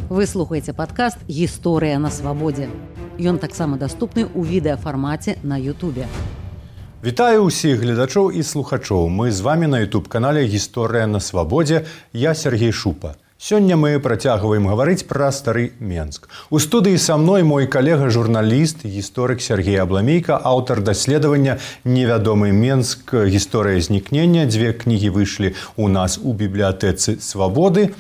Вы слухаеце падкаст «Гісторыя на свабодзе». Ён таксама даступны ў відэафармаце на Ютубе. Вітаю ўсіх гледачоў і слухачоў. Мы з вами на YouTube-канале «Гісторыя на свабодзе». Я Сергей Шупа. Сёння мы працягваем гаварыць пра стары Менск. У студыі са мной мой калега-журналіст, гісторык Сергей Абламейка, аўтар даследавання «Невядомы Менск. Гісторыя знікнення». Дзве кнігі выйшлі ў нас у бібліятэцы «Свабоды».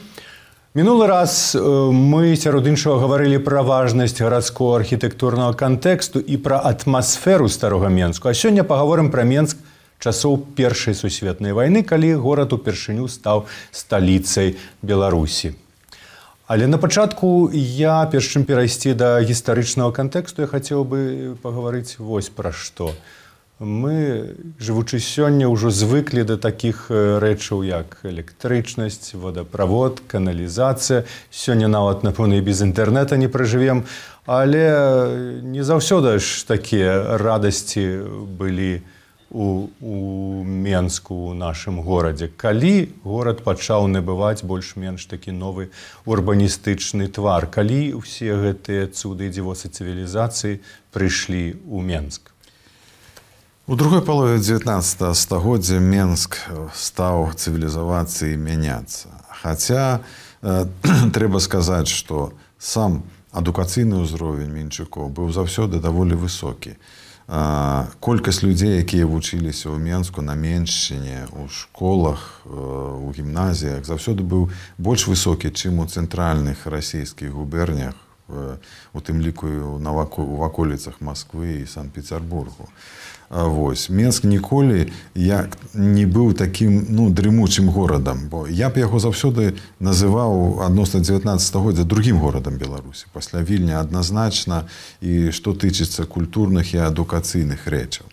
Мінулы раз мы сярод іншага гаварылі пра важнасць гарадскога архітэктурнага кантэксту і пра атмасферу старога Менску. А сёння пагаворым пра Менск часоў Першай сусветнай вайны, калі горад упершыню стаў сталіцай Беларусі. Але на пачатку я, перш чым перайсці да гістарычнага кантэксту, я хацеў бы пагаварыць вось пра што. Мы, жывучы сёння, ўжо звыклі да такіх рэчаў, як электрычнасць, водаправод, каналізацыя. Сёння нават, напэўна, і без інтэрнэта не пражывем. Але не заўсёды ж такія радасці былі у Менску, у нашым горадзе. Калі горад пачаў набываць больш-менш такі новы урбаністычны твар, калі ўсе гэтыя цуды і дзівосы цывілізацыі прыйшлі ў Менск. У другой палове 19 стагоддзя Менск стаў цывілізавацца і мяняцца. Хаця трэба сказаць, што сам адукацыйны ўзровень менчукоў быў заўсёды даволі высокі. Колькасць людзей, якія вучыліся ў Менску на Меншчыне, у школах, у гімназіях, заўсёды быў больш высокі, чым у цэнтральных расійскіх губернях, у тым ліку у ваколіцах Масквы і Санкт-Пецярбургу. Вось. Менск ніколі не быў такім дрымучым горадам, бо я б яго заўсёды называў адносна 19 стагоддзя другім горадам Беларусі. Пасля Вільня адназначна і што тычыцца культурных і адукацыйных рэчаў.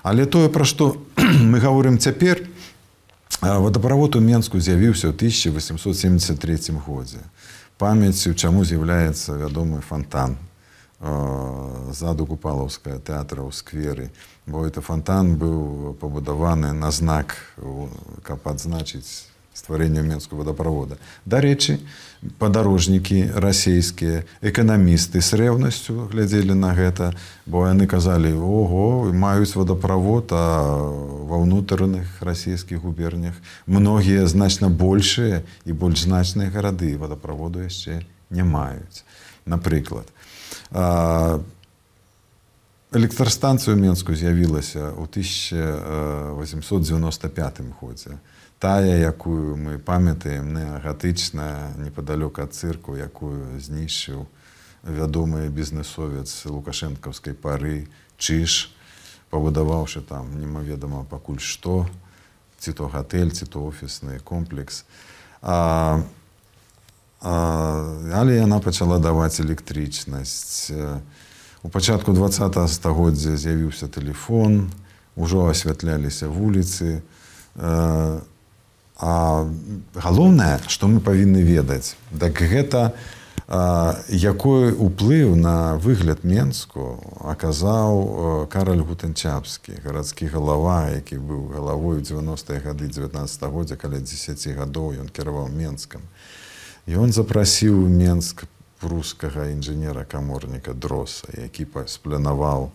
Але тое, пра што мы гаворым цяпер, водаправод у Менску з'явіўся ў 1873 годзе. Памяццю чаму з'яўляецца вядомы фонтан ззаду Купалаўскага тэатра ў скверы, бо гэты фонтан быў пабудаваны на знак, каб адзначыць стварэнне Менскага водаправода. Дарэчы, падарожнікі расійскія, эканамісты з рэўнасцю глядзелі на гэта, бо яны казалі: ого, маюць водаправод, а ва ўнутраных расійскіх губернях многія значна большыя і больш значныя гарады водаправоду яшчэ не маюць. Напрыклад, электрастанцыя ў Менску з'явілася ў 1895 годзе. Тая, якую мы памятаем, неагатычная, непадалёк ад цырку, якую знішчыў вядомы бізнесовец лукашэнкаўскай пары Чыж, пабудаваўшы там немаведама пакуль што, ці то гатэль, ці то офісны комплекс. Але яна пачала даваць электрычнасць. У пачатку 20 стагоддзя з'явіўся тэлефон, ужо асвятляліся вуліцы. А галоўнае, што мы павінны ведаць, так гэта якой уплыў на выгляд Менску аказаў Караль Гутэнчапскі, гарадскі галава, які быў галавой у 90-е гады 19 стагоддзя, каля 10 гадоў ён кіраваў Менскам. І ён запрасіў у Менск прускага інжынера-каморніка Дроса, які спланаваў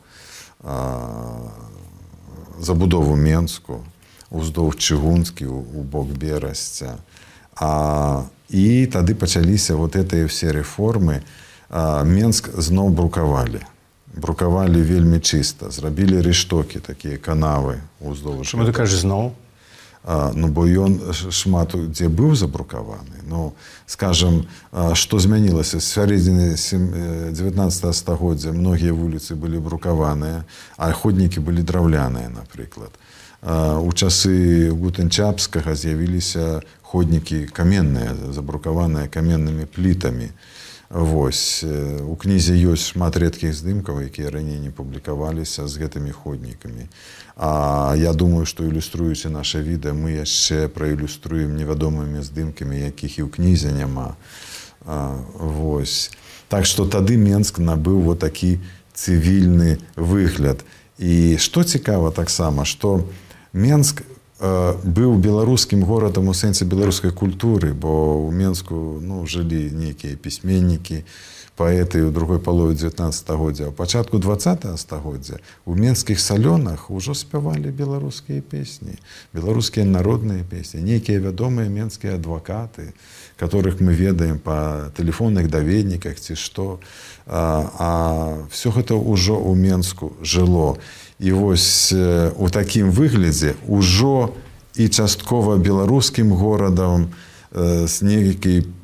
забудову Менску уздоўж Чыгунскі у бок Берасця. І тады пачаліся вот гэтыя ўсе рэформы. Менск зноў брукавалі. Брукавалі вельмі чыста. Зрабілі рэштокі, такія канавы уздоўж. Чаму ты кажаш зноў? Бо ён шмат дзе быў забрукаваны. Скажам, што змянілася? З сярэдзіны 19 стагоддзя многія вуліцы былі брукаваныя, а ходнікі былі драўляныя, напрыклад. У часы Гутэнчапскага з'явіліся ходнікі каменныя, забрукаваныя каменнымі плітамі. Вось. У кнізе ёсць шмат рэдкіх здымкаў, якія раней не публікаваліся з гэтымі ходнікамі. А я думаю, што ілюструючы наша відэа, мы яшчэ праілюструем невядомымі здымкамі, якіх і ў кнізе няма. Вось. Так што тады Менск набыў вот такі цывільны выгляд. І што цікава таксама, што Менск быў беларускім горадам у сэнсе беларускай культуры, бо ў Менску жылі нейкія пісьменнікі, паэты ў другой палове 19 стагоддзя. А ў пачатку 20 стагоддзя у менскіх салёнах ужо спявалі беларускія песні, беларускія народныя песні, нейкія вядомыя менскія адвакаты, которых мы ведаем па тэлефонных даведніках ці што. А все гэта ўжо ў Менску жыло. І вось у такім выглядзе ўжо і часткова беларускім горадам з нейкім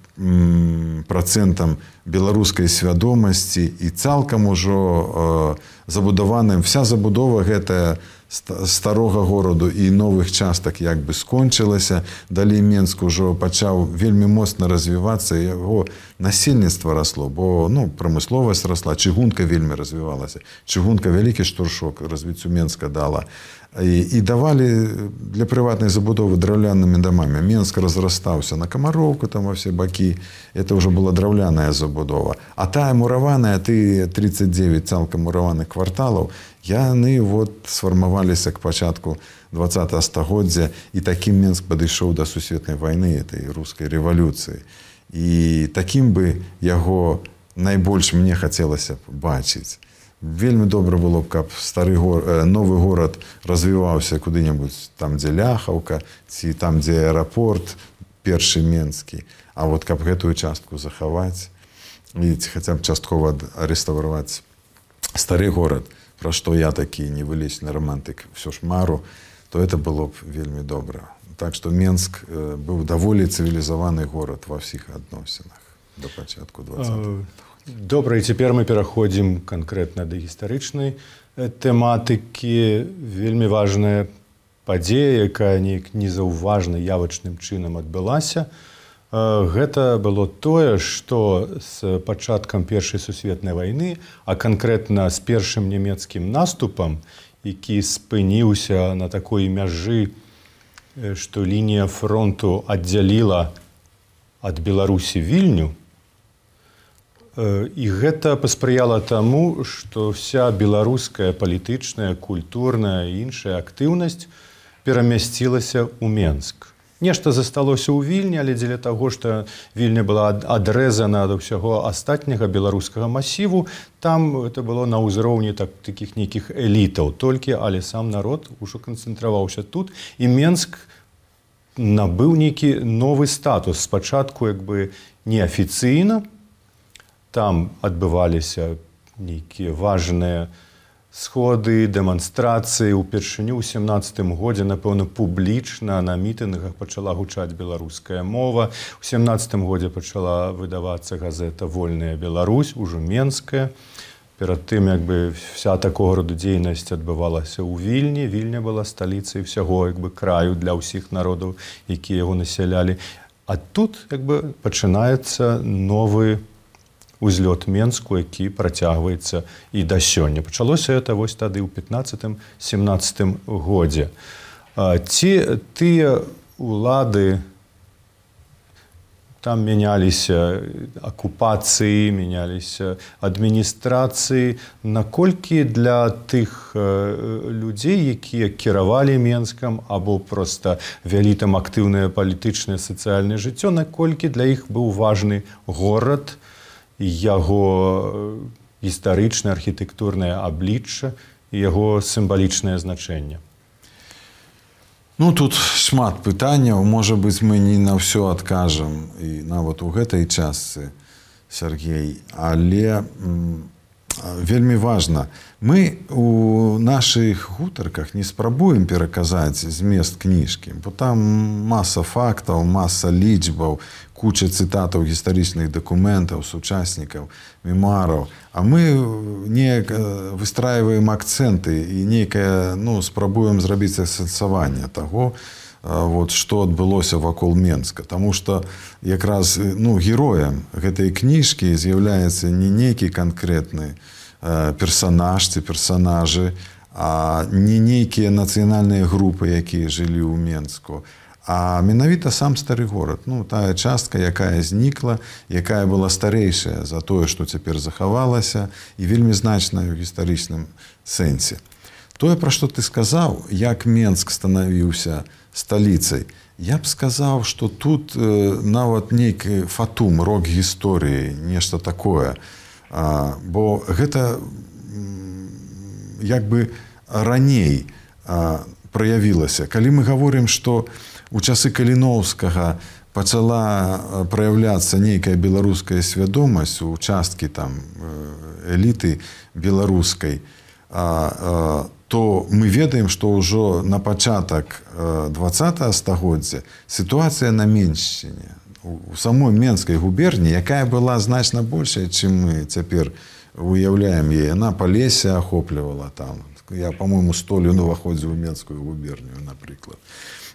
працэнтам беларускай свядомасці і цалкам ужо забудаваным. Вся забудова гэтая старога гораду і новых частак як бы скончылася. Далей Менск ужо пачаў вельмі моцна развівацца, яго насельніцтва расло, бо прамысловасць расла, чыгунка вельмі развівалася. Чыгунка вялікі штуршок развіццю Менска дала. І давалі для прыватнай забудовы драўлянымі дамамі. Менск разрастаўся на Камароўку, там во все бакі. Это ўжо была драўляная забудова. А тая мураваная, ты 39 цалкам мураваных кварталаў, яны сфармаваліся к пачатку 20 стагоддзя, і такім Менск падышоў да сусветнай вайны, этой рускай рэвалюцыі. І такім бы яго найбольш мне хацелася б бачыць. Вельмі добра было б, каб новы горад развіваўся куды-небудзь там, дзе Ляхаўка, ці там, дзе аэрапорт першы менскі. А каб гэтую частку захаваць і хаця б часткова рэстаўраваць стары горад, пра што я такі невылечны романтык ўсё ж мару, то это было б вельмі добра. Так што Менск быў даволі цывілізаваны горад ва ўсіх адносінах да пачатку 20-х. Добра, і цяпер мы пераходзім канкрэтна да гістарычнай тэматыкі. Вельмі важная падзея, якая неяк незаўважна явачным чынам адбылася. Гэта было тое, што з пачаткам Першай сусветнай вайны, а канкрэтна з першым нямецкім наступам, які спыніўся на такой мяжы, што лінія фронту аддзяліла ад Беларусі Вільню, і гэта паспрыяла таму, што вся беларуская палітычная, культурная і іншая актыўнасць перамясцілася ў Менск. Нешта засталося ў Вільні, але дзеля таго, што Вільня была адрэзана ад усяго астатняга беларускага масіву, там это было на ўзроўні такіх нейкіх элітаў толькі, але сам народ ужо канцэнтраваўся тут, і Менск набыў нейкі новы статус. Спачатку як бы неафіцыйна, там адбываліся нейкія важныя сходы, дэманстрацыі. Упершыню ў 17 годзе, напэўна, публічна на мітынгах пачала гучаць беларуская мова. У 17 годзе пачала выдавацца газета «Вольная Беларусь», ужо менская. Перад тым, як бы, вся такога роду дзейнасць адбывалася ў Вільні. Вільня была сталіцай усяго, як бы, краю для ўсіх народаў, якія яго насялялі. А тут, як бы, пачынаецца новы узлёт Менску, які працягваецца і да сёння. Пачалося это вось тады ў 15-17 годзе. Ці тыя улады, там мяняліся акупацыі, мяняліся адміністрацыі, наколькі для тых людзей, якія кіравалі Менскам або проста вялі там актыўнае палітычнае сацыяльнае жыццё, наколькі для іх быў важны горад, яго гістарычнае, архітэктурнае аблічча і яго сімвалічнае значэнне? Тут шмат пытанняў. Можа быць, мы не на ўсё адкажам, і нават у гэтай частцы, Сергей, але вельмі важна. Мы у нашых гутарках не спрабуем пераказаць змест кніжкі, бо там маса фактаў, маса лічбаў, куча цытатаў гістарычных дакументаў, сучаснікаў, мемуараў. А мы неяк выстраиваем акцэнты і нейкае, спрабуем зрабіць асэнсаванне таго, што адбылося вакол Менска. Таму што якраз героем гэтай кніжкі з'яўляецца не нейкі канкрэтны персанаж ці персанажы, а не нейкія нацыянальныя групы, якія жылі ў Менску, а менавіта сам стары горад. Тая частка, якая знікла, якая была старэйшая за тое, што цяпер захавалася, і вельмі значная ў гістарычным сэнсе. Тое, пра што ты сказаў, як Менск станавіўся сталіцай. Я б сказаў, што тут нават нейкі фатум, рок гісторыі, нешта такое. Бо гэта як бы раней праявілася. Калі мы гаворым, што у часы Каліноўскага пачала праяўляцца нейкая беларуская свядомасць у часткі там эліты беларускай, то мы ведаем, што ўжо на пачатак 20-го стагоддзя сітуацыя на Меншчыне, у самой Менскай губерні, якая была значна большая, чым мы цяпер уяўляем яе. Яна Палесе ахоплівала там. Я, па-мойму, 100 лён уваходзіў у Менскую губернію, напрыклад.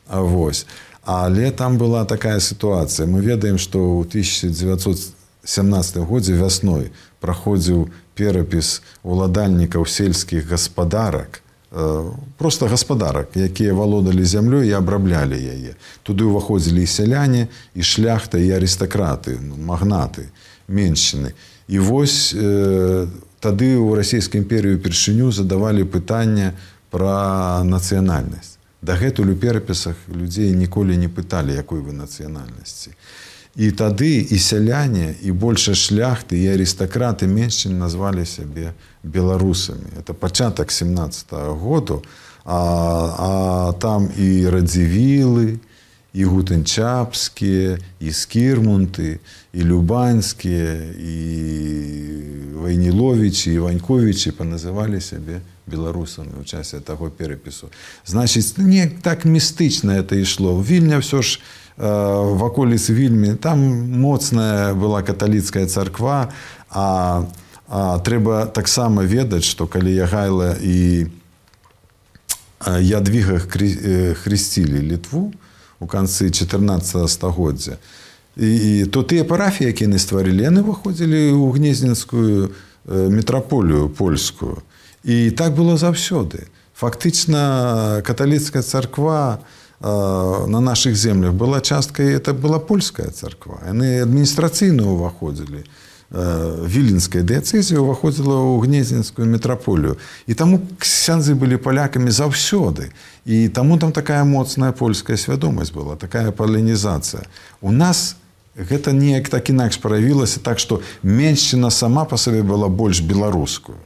Вось. Але там была такая сітуацыя. Мы ведаем, што ў 1917 годзе вясной праходзіў перапіс уладальнікаў сельскіх гаспадарак, просто гаспадарак, якія валодалі зямлёй і абраблялі яе. Туды ўваходзілі і сяляне, і шляхта, і арыстакраты, магнаты, меншчыны. І вось тады ў расійскай імперыі упершыню задавалі пытанне пра нацыянальнасць. Дагэтуль у перапісах людзей ніколі не пыталі, якой вы нацыянальнасці. І тады і сяляне, і большая шляхты, і арыстакраты меншчын назвалі сябе беларусамі. Это пачатак 17-го году, а там і радзівілы, і гутэнчапскія, і скірмунты, і любанскія, і Вайніловічы, і Ваньковічы паназывалі сябе беларусамі ў часе таго перапісу. Значыць, не так містычна это ішло. Вільня ўсё ж в аколіцы Вільмі, там моцная была каталіцкая царква, а трэба таксама ведаць, што калі Ягайла і Ядвіга хрысцілі Літву у канцы 14 стагоддзя, то тыя парафіі, якія яны стварылі, яны выходзілі ў гнезненскую метраполію польскую. І так было заўсёды. Фактычна каталіцкая царква на наших землях была часткой, это была польская царква. Яны адміністрацыйна ўваходзілі. Віленская дыяцэзія ўваходзіла ў гнезненскую метраполію. І таму ксяндзы былі палякамі заўсёды. І таму там такая моцная польская свядомасць была, такая палінізацыя. У нас гэта неяк так інакш праявілася, так што меншчына сама па сабе была больш беларускую.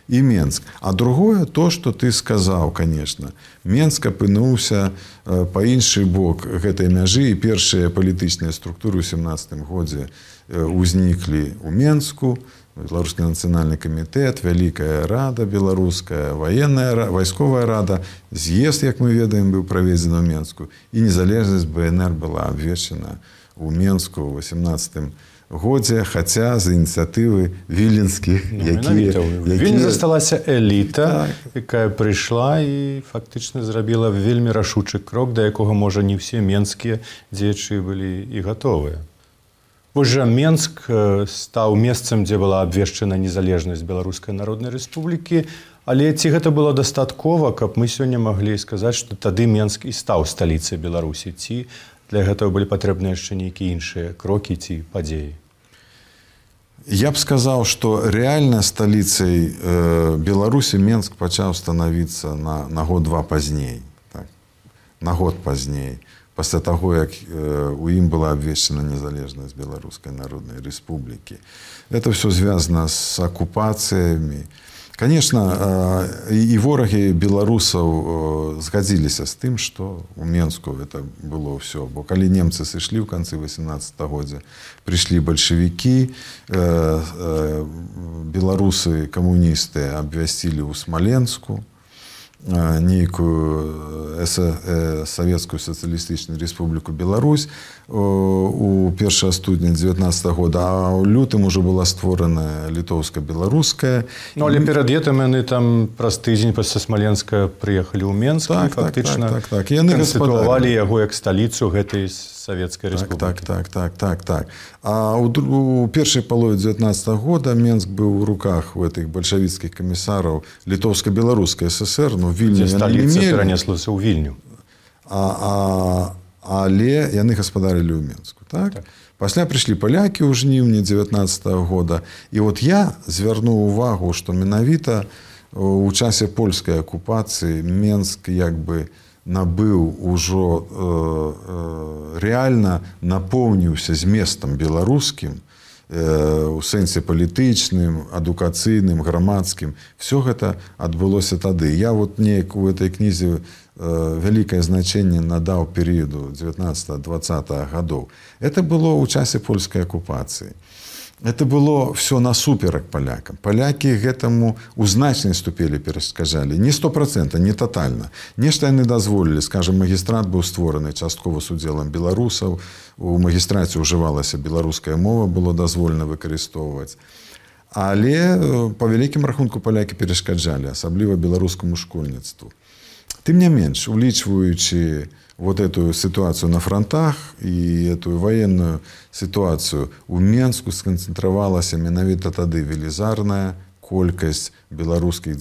І Менск. А другое, то, што ты сказаў, конечно. Менск апынуўся па іншы бок гэтай мяжы, і першыя палітычныя структуры ў 17 годзе узніклі ў Менску, Беларускі нацыянальны камітэт, Вялікая рада беларуская, вайсковая рада, з'езд, як мы ведаем, быў праведзены ў Менску, і незалежнасць БНР была абвешчана ў Менску ў 18 годзе, хаця з ініцыятывы віленскіх, Вільні засталася эліта, якая прыйшла і фактычна зрабіла вельмі рашучы крок, да якога, можа, не ўсе менскія дзеячы былі і гатовыя. Вось жа Менск стаў месцам, дзе была абвешчана незалежнасць Беларускай Народнай Рэспублікі, але ці гэта было дастаткова, каб мы сёння маглі сказаць, што тады Менск і стаў сталіцай Беларусі, ці для гэтага былі патрэбныя яшчэ нейкія іншыя крокі ці падзеі? Я б сказаў, што рэальна сталіцай Беларусі Менск пачаў станавіцца на год-два пазней. Так? На год пазней. Пасля таго, як у ім была абвешчана незалежнасць Беларускай Народнай Рэспублікі. Это все звязана з акупацыямі. Конечно, і ворагі беларусаў згадзіліся з тым, што ў Менску это было ўсё. Бо калі немцы сышлі ў канцы 18 годзя, прыйшлі бальшавікі, беларусы камуністы абвясцілі ў Смаленску нейкую Савецкую сацыялістычную Рэспубліку Беларусь у 1 студня 19 года, а ў лютым ужо была створана літоўска-беларуская. Ну, але перад гэтым яны там праз тыдзень пасля Смаленска прыехалі ў Менск і фактычна канстытуавалі яго як сталіцу гэтай Савецкай Рэспублікі. Так. А у першай палове 19 года Менск быў у руках у гэтых бальшавіцкіх камісараў Літоўска-беларускай ССР, ну, Вільню яны не мелі. Сталіца перанеслася ў Вільню. Але яны гаспадарылі ў Менску. Так? Пасля прыйшлі палякі ў жніўні 19 года. І от я звярнуў увагу, што менавіта у часе польскай акупацыі Менск як бы набыў ужо рэальна напоўніўся зместам беларускім, у сэнсе палітычным, адукацыйным, грамадскім. Все гэта адбылося тады. Я вот неяк у этой кнізе вялікае значэнне надаў перыяду 19-20 гадоў. Это было ў часе польскай акупацыі. Это было все насуперак палякам. Палякі гэтаму ў значнай ступені перашкаджалі. Не 100%, не тотальна. Нешта яны дазволілі. Скажем, магістрат быў створаны часткова з удзелам беларусаў. У магістраце ўжывалася беларуская мова, было дазволена выкарыстоўваць. Але па вялікім рахунку палякі перашкаджалі, асабліва беларускаму школьніцтву. Тым не менш, улічваючы вот эту ситуацию на фронтах и эту военную ситуацию, у Менску сконцентровалась менавіта тады велізарная колькасць беларускіх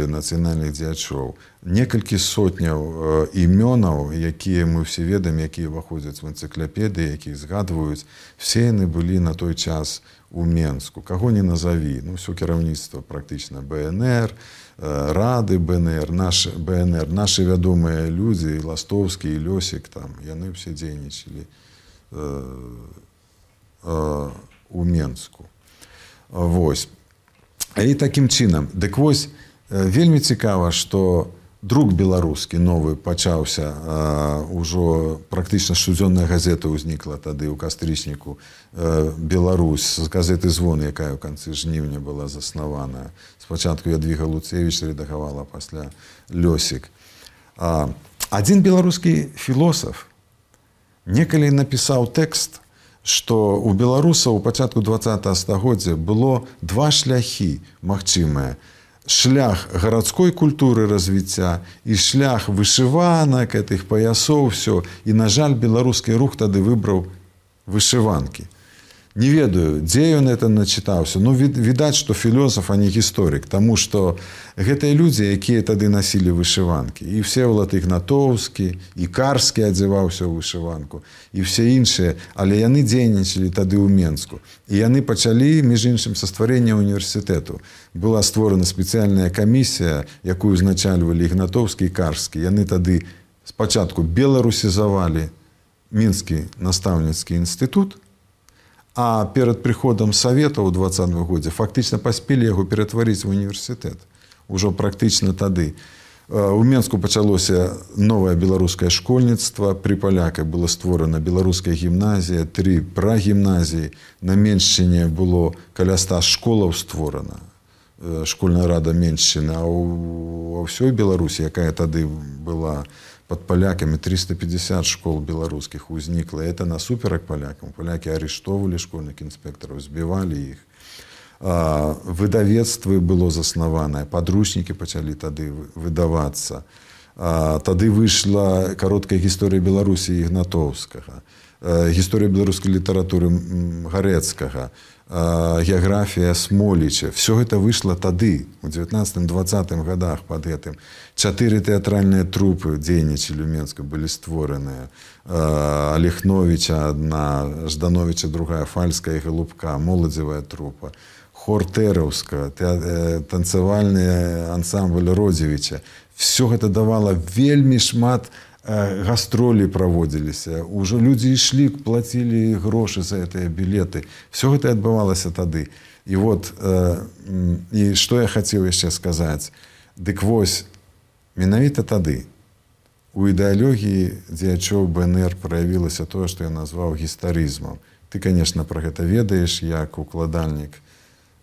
нацыянальных дзеячоў. Некалькі сотняў імёнаў, якія мы все ведаем, якія ўваходзяць в энцыклапедыі, якіх згадваюць, все яны былі на той час у Менску. Каго не назаві, все кіраўніцтва практычна БНР, рады БНР, наши вядомыя людзі, і Ластовскі, і Лёсік, яны ўсе дзейнічалі у Менску. Вось. І такім чынам. Дык вось, вельмі цікава, што друк беларускі новы пачаўся, ужо практычна штодзённая газета ўзнікла тады ў кастрычніку «Беларусь» з газеты «Звон», якая ў канцы жніўня была заснаваная. Спачатку Ядвіга Луцевіч рэдагавала, пасля Лёсік. Адзін беларускі філосаф некалі напісаў тэкст, што у беларусаў у пачатку 20-го стагоддзя было два шляхі магчымыя. Шлях гарадской культуры развіцця і шлях вышыванак, гэтых паясоў, все. І, на жаль, беларускі рух тады выбраў вышыванкі. Не ведаю, дзе ён это начытаўся. Відаць, што філосаф, а не гісторык, таму што гэтыя людзі, якія тады насілі вышыванкі. І Всеволад Ігнатоўскі, і Карскі адзяваўся ў вышыванку, і все іншыя, але яны дзейнічалі тады ў Менску. І яны пачалі, між іншым, са стварэння універсітэту. Была створана спецыяльная камісія, якую узначальвалі Ігнатоўскі і Карскі. Яны тады спачатку беларусізавалі Мінскі настаўніцкі інстытут, а перад прыходам Савета ў 20-м годзе фактычна паспелі яго ператварыць в універсітэт. Ужо практычна тады. У Менску пачалося новае беларускае школьніцтва. Пры паляках была створана беларуская гімназія, 3 прагімназіі. На Меншчыне было каля 100 школаў створана. Школьная рада Меншчыны. А ў ўсёй Беларусі, якая тады была под палякамі, 350 школ беларускіх узнікла. Это насуперак палякам. Палякі арыштоўвалі школьных інспектараў, збівалі іх. Выдавецтвы было заснаванае, падручнікі пачалі тады выдавацца. Тады выйшла кароткая гісторыя Беларусі Ігнатоўскага, гісторыя беларускай літаратуры Гарэцкага, геаграфія Смоліча. Все гэта выйшла тады, у 19-20 годах пад гэтым. 4 тэатральныя трупы дзейнічалі ў Менску, былі створаныя. Алехновіча адна, Ждановіча другая, Фальская і Галубка, моладзевая трупа. Хор Тэраўска, танцавальны ансамбль Родзевіча. Все гэта давала вельмі шмат гастролі праводзіліся. Ужо людзі ішлі, плацілі грошы за гэтыя білеты. Все гэта адбывалася тады. І вот, і што я хацеў яшчэ сказаць. Дык вось, менавіта тады у ідэалогіі дзеячоў БНР праявілася тое, што я назваў гістарызмам. Ты, конечно, пра гэта ведаеш, як укладальнік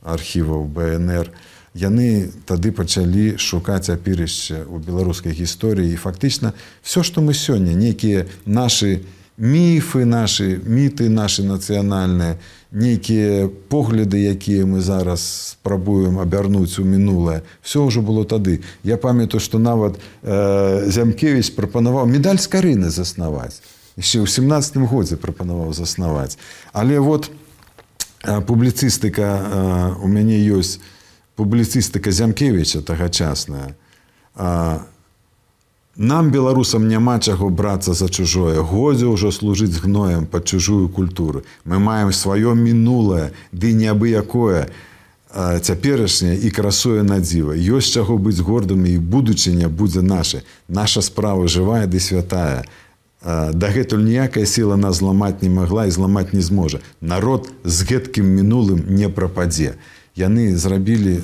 архіваў БНР. Яны тады пачалі шукаць апірышча ў беларускай гісторыі. І фактычна все, што мы сёння, нейкія нашы міфы, нашы міты, нашы нацыянальныя, нейкія погляды, якія мы зараз спрабуем абярнуць у мінулае, все ўжо было тады. Я памятаю, што нават Зямкевіч прапанаваў медаль Скарыны заснаваць. Яшчэ ў 17-м годзе прапанаваў заснаваць. Але вот публіцыстыка, у мяне ёсць публіцыстыка Зямкевіча тагачасная. Нам, беларусам, няма чаго брацца за чужое. Годзе ўжо служыць гноем пад чужую культуру. Мы маем сваё мінулае, ды неабыякое. цяперашняе і красуе на дзіва. Ёсць чаго быць гордымі, і будучыня будзе наша. Наша справа жывая ды святая. Дагэтуль ніякая сіла нас зламаць не магла і зламаць не зможа. Народ з гэткім мінулым не прападзе. Яны зрабілі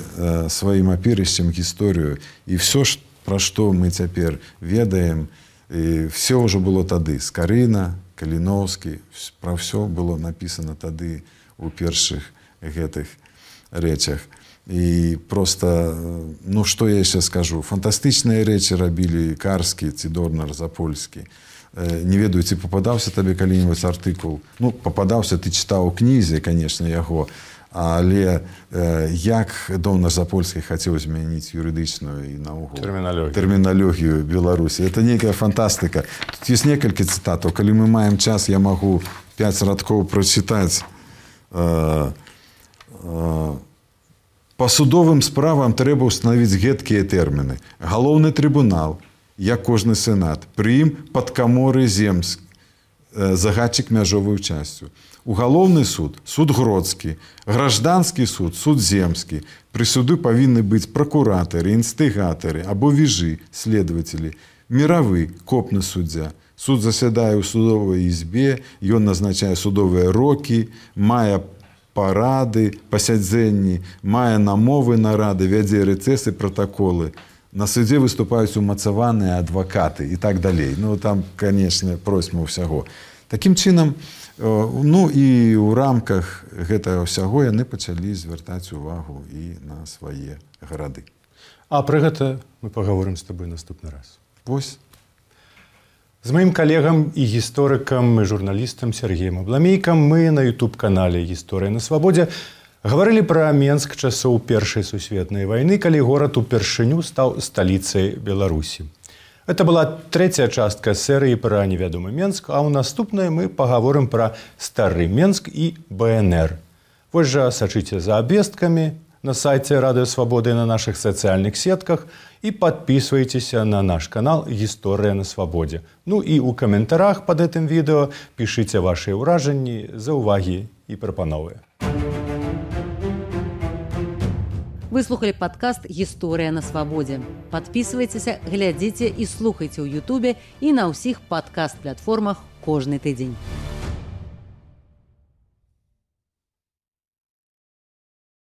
сваім апірышчам гісторыю, і все, пра што мы цяпер ведаем, все ўжо было тады. Скарына, Каліноўскі, пра ўсё было напісана тады у першых гэтых рэчах. І просто, ну што я яшчэ скажу, фантастычныя рэчы рабілі Карскі ці Дорнар Запольскі. Не ведаю, ці попадаўся табе калі-небудзь артыкул. Ну, попадаўся, ты чытаў у кнізе, конечно, яго, але як Дорнар Запольскі хацеў змяніць юрыдычную і наогул тэрміналогію Беларусі. Это нейкая фантастыка. Тут ёсць некалькі цытатаў. Калі мы маем час, я магу 5 радкоў прачытаць. Па судовым справам трэба ўстанавіць гэткія тэрміны. Галоўны трыбунал, як кожны сенат, пры ім падкаморы земск, загадчык мяжовую часцю. Угалоўны суд, суд гродскі, гражданскі суд, суд земскі. Пры суду павінны быць пракуратары, інстыгатары або віжы, следователі, міравы, копны суддзя. Суд засядае ў судовай ізбе, ён назначае судовыя рокі, мае парады, пасядзенні, мае намовы нарады, вядзе рэцэсы, пратаколы. На судзе выступаюць умацаваныя адвакаты і так далей. Ну, там, конечно, просьма ўсяго. Такім чынам, ну, і ў рамках гэтага ўсяго яны пачалі звяртаць увагу і на свае гарады. А пра гэта мы пагаворым з табой наступны раз. Вось. З маім калегам і гісторыкам і журналістам Сергеем Абламейкам мы на YouTube-канале «Гісторыя на свабодзе» гаварылі пра Менск часоў Першай сусветнай вайны, калі горад упершыню стаў сталіцай Беларусі. Это была трэцяя частка серыі пра невядомы Менск, а ў наступнай мы пагаворым пра стары Менск і БНР. Вось жа сачыце за абвесткамі на сайце Радыё Свабоды і на нашых сацыяльных сетках і падпісвайцеся на наш канал «Гісторыя на свабодзе». Ну і ў каментарах пад гэтым відэо пішыце вашыя ўражанні, заўвагі і прапановы. Вы слухали падкаст «Гісторыя на свабодзе». Падпісвайцеся, глядзіце і слухайце ў Ютубе і на ўсіх падкаст-платформах кожны тыдзень.